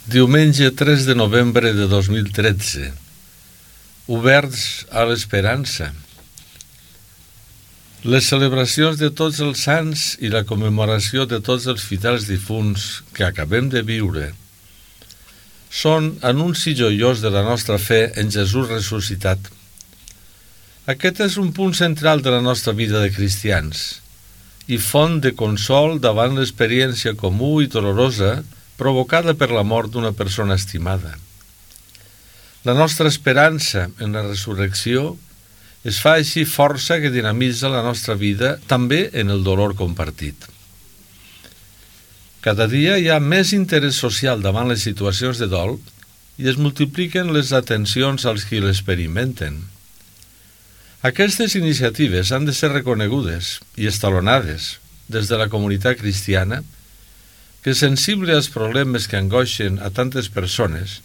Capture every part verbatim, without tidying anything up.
Diumenge tres de novembre de dos mil tretze. Oberts a l'esperança. Les celebracions de tots els sants i la commemoració de tots els fidels difunts que acabem de viure són anunci joiós de la nostra fe en Jesús ressuscitat. Aquest és un punt central de la nostra vida de cristians i font de consol davant l'experiència comú i dolorosa provocada per la mort d'una persona estimada. La nostra esperança en la resurrecció es fa així força que dinamitza la nostra vida també en el dolor compartit. Cada dia hi ha més interès social davant les situacions de dol i es multipliquen les atencions als qui l'experimenten. Aquestes iniciatives han de ser reconegudes i estalonades des de la comunitat cristiana que, sensible als problemes que angoixen a tantes persones,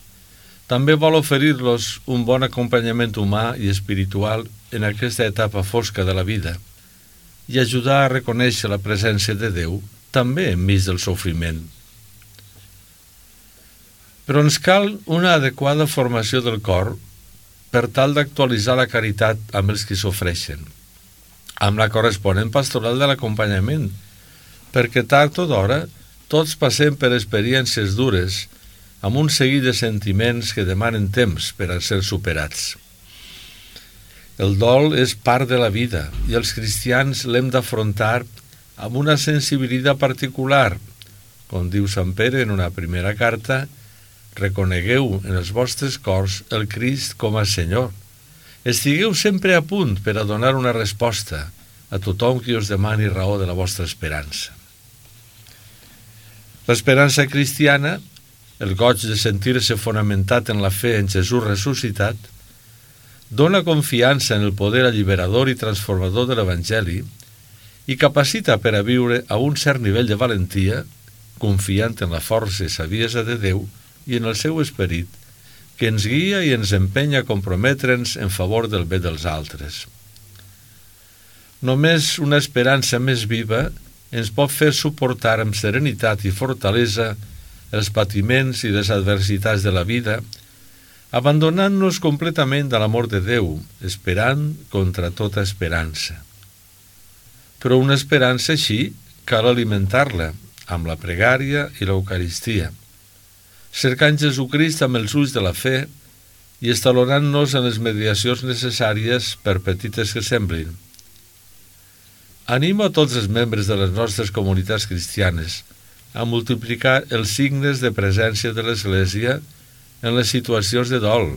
també vol oferir-los un bon acompanyament humà i espiritual en aquesta etapa fosca de la vida i ajudar a reconèixer la presència de Déu també enmig del sofriment. Però ens cal una adequada formació del cor per tal d'actualitzar la caritat amb els qui s'ofreixen, amb la corresponent pastoral de l'acompanyament, perquè tard o d'hora tots passem per experiències dures amb un seguit de sentiments que demanen temps per a ser superats. El dol és part de la vida i els cristians l'hem d'afrontar amb una sensibilitat particular. Com diu Sant Pere en una primera carta, reconegueu en els vostres cors el Crist com a Senyor. Estigueu sempre a punt per a donar una resposta a tothom qui us demani raó de la vostra esperança. L'esperança cristiana, el goig de sentir-se fonamentat en la fe en Jesús ressuscitat, dona confiança en el poder alliberador i transformador de l'Evangeli i capacita per a viure a un cert nivell de valentia, confiant en la força i saviesa de Déu i en el seu esperit, que ens guia i ens empenya a comprometre'ns en favor del bé dels altres. Només una esperança més viva ens pot fer suportar amb serenitat i fortalesa els patiments i les adversitats de la vida, abandonant-nos completament a l'amor de Déu, esperant contra tota esperança. Però una esperança així cal alimentar-la amb la pregària i l'Eucaristia, cercant Jesucrist amb els ulls de la fe i estalonant-nos en les mediacions necessàries per petites que semblin. Animo a tots els membres de les nostres comunitats cristianes a multiplicar els signes de presència de l'Església en les situacions de dol,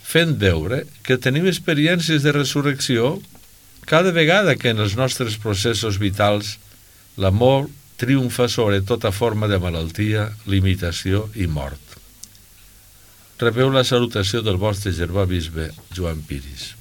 fent veure que tenim experiències de resurrecció cada vegada que en els nostres processos vitals l'amor triomfa sobre tota forma de malaltia, limitació i mort. Rebeu la salutació del vostre germà bisbe Joan Piris.